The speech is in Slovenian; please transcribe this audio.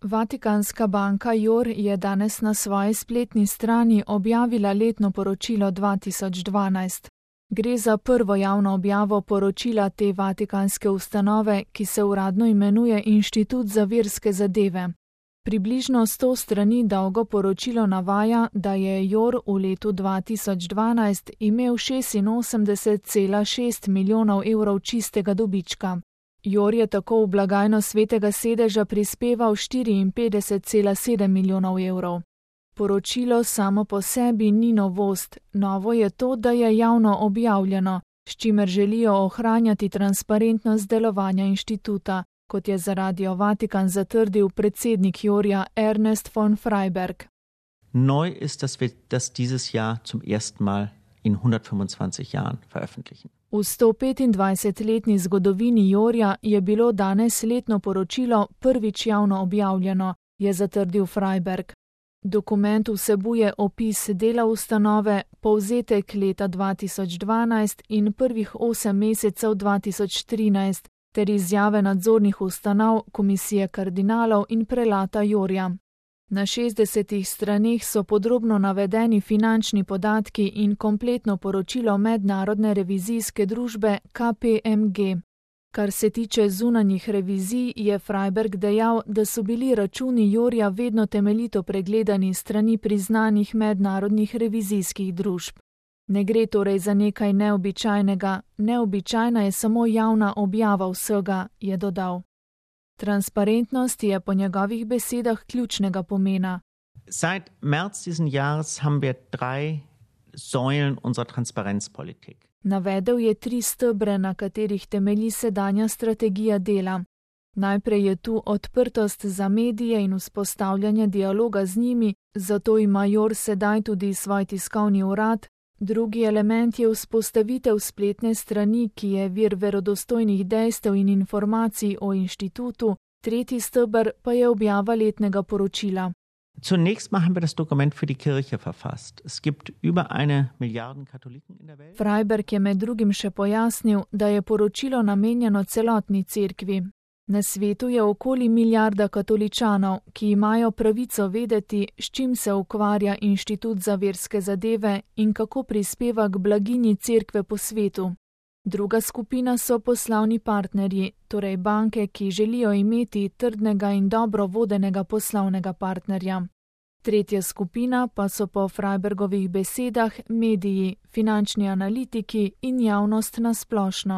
Vatikanska banka JOR je danes na svoji spletni strani objavila letno poročilo 2012. Gre za prvo javno objavo poročila te vatikanske ustanove, ki se uradno imenuje Inštitut za verske zadeve. Približno 100 strani dolgo poročilo navaja, da je JOR v letu 2012 imel 86,6 milijonov evrov čistega dobička. JOR je tako v blagajno Svetega sedeža prispeval 54,7 milijonov evrov. Poročilo samo po sebi ni novost, novo je to, da je javno objavljeno, s čimer želijo ohranjati transparentnost delovanja inštituta, kot je za Radio Vatikan zatrdil predsednik JOR-ja Ernest von Freiberg. Neu ist, dass wir das dieses Jahr zum ersten Mal in 125 Jahren veröffentlichen. V 125-letni zgodovini JOR-ja je bilo danes letno poročilo prvič javno objavljeno, je zatrdil Freiberg. Dokument vsebuje opis dela ustanove, povzetek leta 2012 in prvih 8 mesecev 2013 ter izjave nadzornih ustanov, komisije kardinalov in prelata JOR-ja. Na 60 straneh so podrobno navedeni finančni podatki in kompletno poročilo mednarodne revizijske družbe KPMG. Kar se tiče zunanjih revizij, je Freiberg dejal, da so bili računi JOR-ja vedno temeljito pregledani strani priznanih mednarodnih revizijskih družb. Ne gre torej za nekaj neobičajnega, neobičajna je samo javna objava vsega, je dodal. Transparentnost je po njegovih besedah ključnega pomena. Seit März diesen Jahres haben wir 3 Säulen unserer Transparenzpolitik. Navedel je 3 stebre, na katerih temelji sedanja strategija dela. Najprej je tu odprtost za medije in vzpostavljanje dialoga z njimi, zato ima JOR sedaj tudi svoj tiskovni urad. Drugi element je vzpostavitev spletne strani, ki je vir verodostojnih dejstev in informacij o inštitutu, tretji steber pa je objava letnega poročila. Zunächst mal haben wir das Dokument für die Kirche verfasst. Es gibt über 1 Milliarde Katholiken in der Welt. Freiberg je med drugim še pojasnil, da je poročilo namenjeno celotni cerkvi. Na svetu je okoli 1 milijarda katoličanov, ki imajo pravico vedeti, s čim se ukvarja Inštitut za verske zadeve in kako prispeva k blaginji cerkve po svetu. Druga skupina so poslovni partnerji, torej banke, ki želijo imeti trdnega in dobro vodenega poslovnega partnerja. Tretja skupina pa so po Freibergovih besedah mediji, finančni analitiki in javnost na splošno.